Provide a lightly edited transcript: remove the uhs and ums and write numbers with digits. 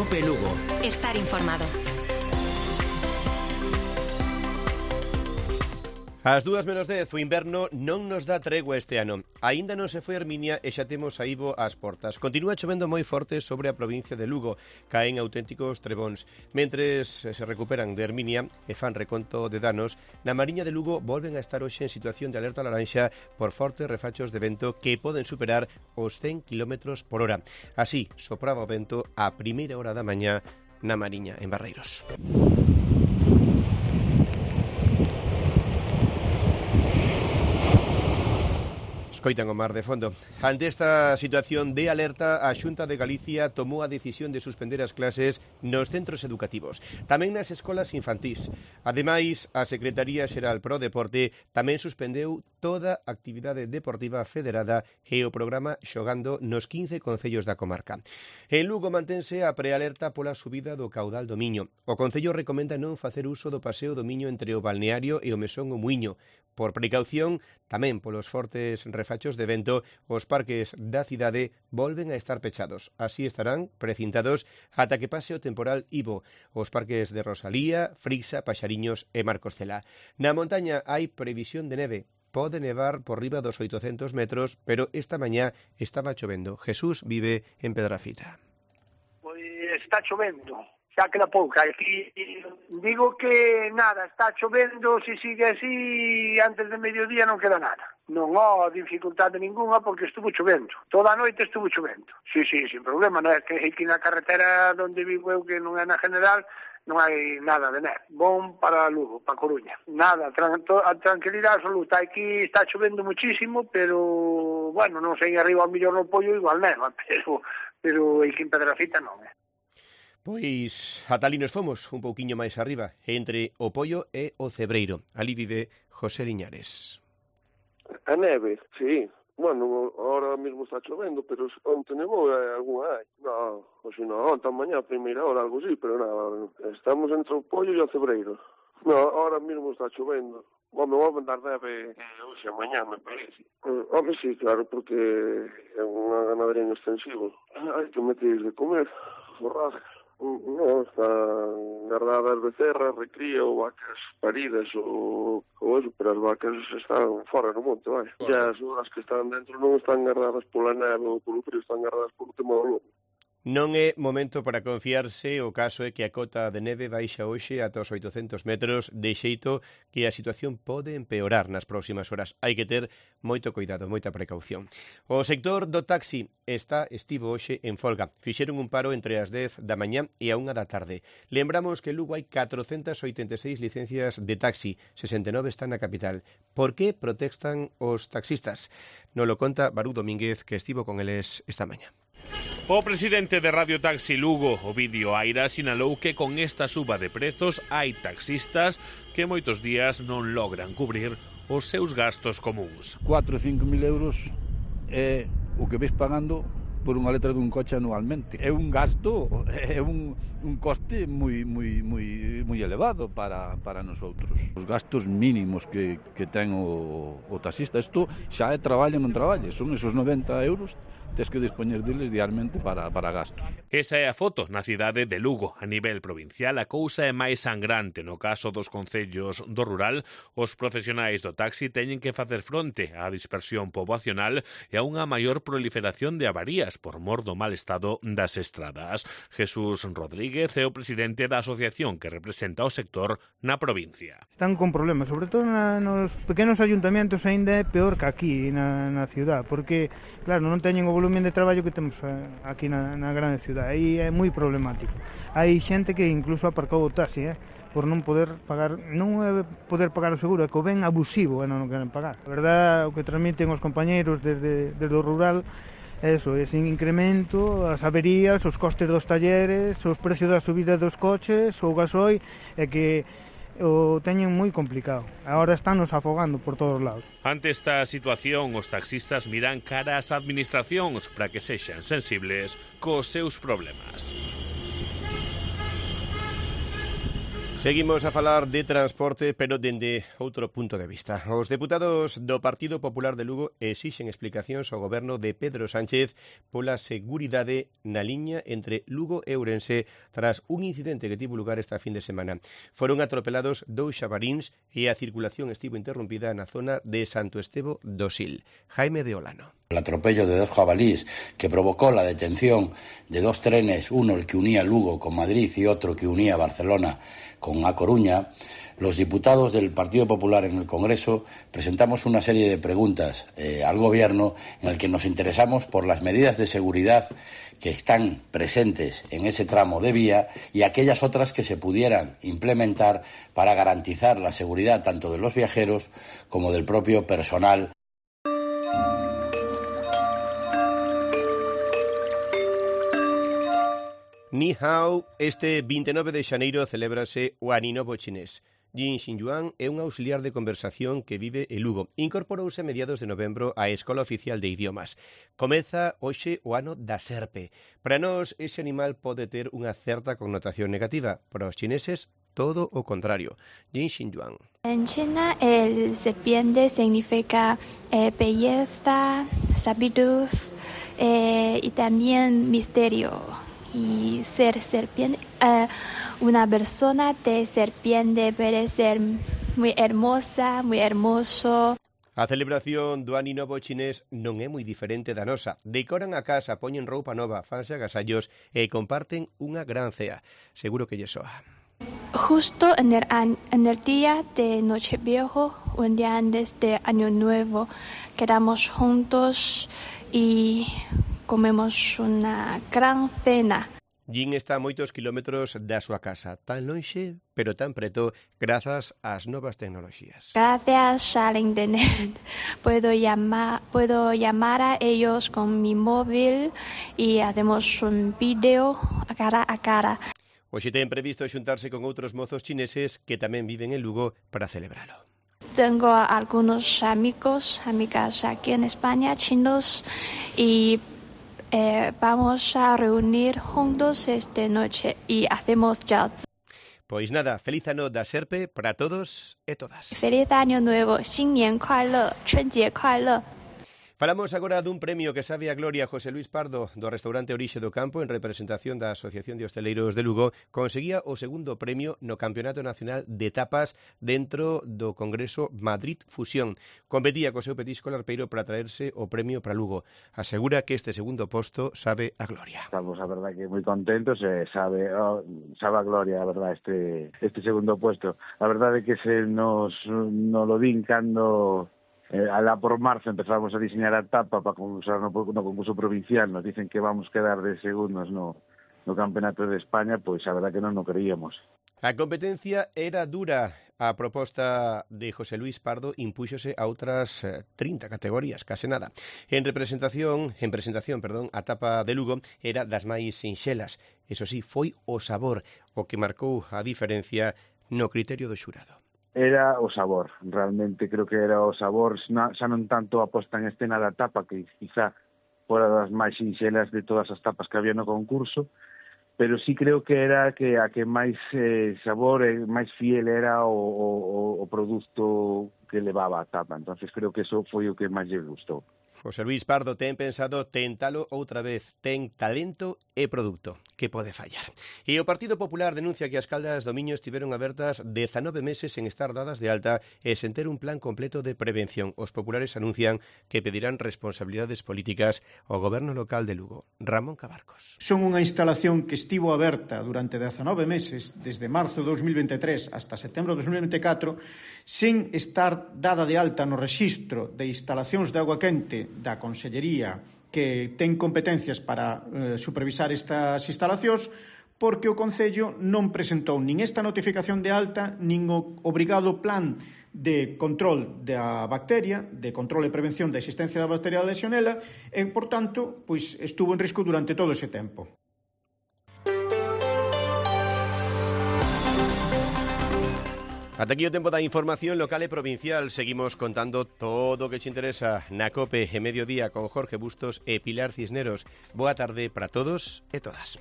COPE Lugo. Estar informado. Ás 2:10, o inverno non nos dá tregua este ano. Aínda non se foi Herminia e xa temos a Ivo ás portas. Continúa chovendo moi forte sobre a provincia de Lugo. Caen auténticos trebóns. Mentres se recuperan de Herminia e fan reconto de danos, na Mariña de Lugo volven a estar hoxe en situación de alerta laranxa por fortes refachos de vento que poden superar os 100 km por hora. Así sopraba o vento a primeira hora da mañá na Mariña, en Barreiros. Coitan o mar de fondo. Ante esta situación de alerta, a Xunta de Galicia tomou a decisión de suspender as clases nos centros educativos, tamén nas escolas infantís. Ademais, a Secretaría Xeral Pro Deporte tamén suspendeu toda a actividade deportiva federada e o programa Xogando nos 15 concellos da comarca. En Lugo mantense a prealerta pola subida do caudal do Miño. O Concello recomenda non facer uso do paseo do Miño entre o balneario e o mesón o Muiño. Por precaución, tamén polos fortes refachos de vento, os parques da cidade volven a estar pechados. Así estarán precintados ata que pase o temporal Ivo. Os parques de Rosalía, Frixa, Paxariños e Marcos Cela. Na montaña hai previsión de neve. Pode nevar por riba dos 800 metros, pero esta mañá estaba chovendo. Jesús vive en Pedrafita. Pois está chovendo. Xa queda pouca. Aquí digo que nada, está chovendo, se sigue así, antes de mediodía non queda nada. Non há dificultade ninguna porque estuvo chovendo. Toda a noite estuvo chovendo. Sí, sin problema, non é que aquí na carretera onde vivo eu, que non é na general, non hai nada de neve. Bom para Lugo, para Coruña. Nada, a tranquilidade absoluta. Aquí está chovendo muchísimo, pero, bueno, non sei, arriba ao millón no Pollo igual neva, pero aquí en Pedrafita non é. Pois ata ali nos fomos, un pouquiño máis arriba, entre o Pollo e o Cebreiro. Ali vive José Liñares. A neve, sí. Bueno, ahora mesmo está chovendo, pero onte nevou algunha hai. Non, hoxe non, onte mañá a primeira hora, algo así, pero non, estamos entre o Pollo e o Cebreiro. Non, ahora mesmo está chovendo. Home, vou mandar neve hoxe a mañá, me parece. Home, sí, claro, porque é unha ganadería en extensivo. Hai que meter de comer, forraje. Non, están guardadas becerras, recría ou vacas paridas ou eso, pero as vacas están fora no monte, vai. E as horas que están dentro non están guardadas pola neve ou polo frío, están guardadas polo tema do lobo. Non é momento para confiarse, o caso é que a cota de neve baixa hoxe ata os 800 metros, de xeito que a situación pode empeorar nas próximas horas. Hai que ter moito cuidado, moita precaución. O sector do taxi estivo hoxe en folga. Fixeron un paro entre as 10 da mañá e a 1 da tarde. Lembramos que en Lugo hai 486 licencias de taxi, 69 están na capital. Por que protestan os taxistas? Nos lo conta Barú Domínguez, que estivo con eles esta mañá. O presidente de Radio Taxi Lugo, Ovidio Aira, sinalou que con esta suba de prezos hai taxistas que moitos días non logran cubrir os seus gastos comuns. 4 ou 5 mil euros é o que ves pagando por unha letra dun coche anualmente. É un gasto, é un coste moi elevado para nosotros. Os gastos mínimos que ten o taxista, isto xa é traballo non traballo, son esos 90 euros, tens que dispoñer deles diariamente para gastos. Esa é a foto na cidade de Lugo. A nivel provincial, a cousa é máis sangrante. No caso dos concellos do rural, os profesionais do taxi teñen que facer fronte á dispersión poboacional e a unha maior proliferación de avarías por mor do mal estado das estradas. Jesús Rodríguez é o presidente da asociación que representa o sector na provincia. Están con problemas, sobre todo nos pequenos ayuntamientos aínda é peor que aquí na ciudad, porque, claro, non teñen o volumen de traballo que temos aquí na grande ciudad, aí é moi problemático. Hai xente que incluso aparcou o taxi, por non poder pagar, non é poder pagar o seguro, é que o ben abusivo e non o queren pagar. A verdade, o que transmiten os compañeiros desde o rural, eso, ese incremento, as averías, os costes dos talleres, os precios da subida dos coches, o gasoil, é que o teñen moi complicado. Agora estánnos afogando por todos lados. Ante esta situación, os taxistas miran cara ás administracións para que sexan sensibles cos seus problemas. Seguimos a falar de transporte, pero dende outro punto de vista. Os deputados do Partido Popular de Lugo exixen explicacións ao goberno de Pedro Sánchez pola seguridade na liña entre Lugo e Ourense tras un incidente que tivo lugar esta fin de semana. Foron atropelados 2 xabaríns e a circulación estivo interrumpida na zona de Santo Estevo do Sil. Jaime de Olano. El atropello de 2 jabalíes que provocó la detención de 2 trenes, uno el que unía Lugo con Madrid y otro que unía Barcelona con A Coruña, los diputados del Partido Popular en el Congreso presentamos una serie de preguntas al Gobierno en el que nos interesamos por las medidas de seguridad que están presentes en ese tramo de vía y aquellas otras que se pudieran implementar para garantizar la seguridad tanto de los viajeros como del propio personal. Ni hao, este 29 de xaneiro celébrase o Aninovo chinés. Jin Xinyuan é un auxiliar de conversación que vive en Lugo. Incorporouse a mediados de novembro á Escola Oficial de Idiomas. Comeza hoxe o ano da serpe. Para nós, ese animal pode ter unha certa connotación negativa. Para os chineses, todo o contrario. Jin Xinyuan. En China, el serpiente significa belleza, sabiduría y también misterio. Y ser serpiente, una persona de serpiente puede ser muy hermosa, muy hermoso. A celebración do Ano Novo chinés non é moi diferente da nosa. Decoran a casa, poñen roupa nova, fanse agasallos e comparten unha gran cea. Seguro que lle soa. Justo en el día de Nocheviejo, un día antes de Año Nuevo, quedamos juntos y comemos una gran cena. Jin está a moitos kilómetros da súa casa, tan lonxe, pero tan preto, grazas ás novas tecnoloxías. Gracias al internet puedo llamar a ellos con mi móvil y hacemos un vídeo cara a cara. Hoxe ten previsto xuntarse con outros mozos chineses que tamén viven en Lugo para celebralo. Tengo algunos amigas aquí en España, chinos, y vamos a reunir juntos esta noche y hacemos jazz. Pois nada, feliz ano da serpe para todos e todas. Feliz año nuevo, 新年快乐，春节快乐。 Falamos agora dun premio que sabe a gloria. José Luis Pardo, do restaurante Orixe do Campo, en representación da Asociación de Hosteleiros de Lugo, conseguía o segundo premio no Campeonato Nacional de Tapas dentro do Congreso Madrid Fusión. Competía co seu petisco larpeiro para traerse o premio para Lugo. Asegura que este segundo posto sabe a gloria. Estamos, a verdad, que moi contentos, sabe a gloria, a verdad, este segundo puesto. A verdade é que se nos lo din cando... Alá por marzo empezamos a diseñar a tapa para concursar no concurso provincial, nos dicen que vamos quedar de segundos no Campeonato de España, pois a verdad que non o creíamos. A competencia era dura. A proposta de José Luis Pardo impúxose a outras 30 categorías, case nada. En presentación, a tapa de Lugo era das máis sinxelas. Eso sí, foi o sabor o que marcou a diferencia no criterio do xurado. Era o sabor, realmente creo que era o sabor, xa non tanto a posta en escena da tapa, que quizá fora das máis sinxelas de todas as tapas que había no concurso, pero sí creo que era que a que máis sabor e máis fiel era o produto que levaba a tapa. Entonces creo que eso foi o que máis lle gustou. José Luis Pardo ten pensado tentalo outra vez. Ten talento e produto. Que pode fallar? E o Partido Popular denuncia que as Caldas do Miño estiveron abertas 19 meses sen estar dadas de alta e sen ter un plan completo de prevención. Os populares anuncian que pedirán responsabilidades políticas ao goberno local de Lugo. Ramón Cabarcos. Son unha instalación que estivo aberta durante 19 meses, desde marzo de 2023 hasta setembro de 2024, sen estar dada de alta no rexistro de instalacións de agua quente da Consellería que ten competencias para supervisar estas instalacións, porque o Concello non presentou nin esta notificación de alta, nin o obrigado plan de control da bacteria, de control e prevención da existencia da bacteria da Legionela, e, por tanto, pois estuvo en risco durante todo ese tempo. Ata aquí o tempo da información local e provincial. Seguimos contando todo o que te interesa na COPE e Mediodía con Jorge Bustos e Pilar Cisneros. Boa tarde para todos e todas.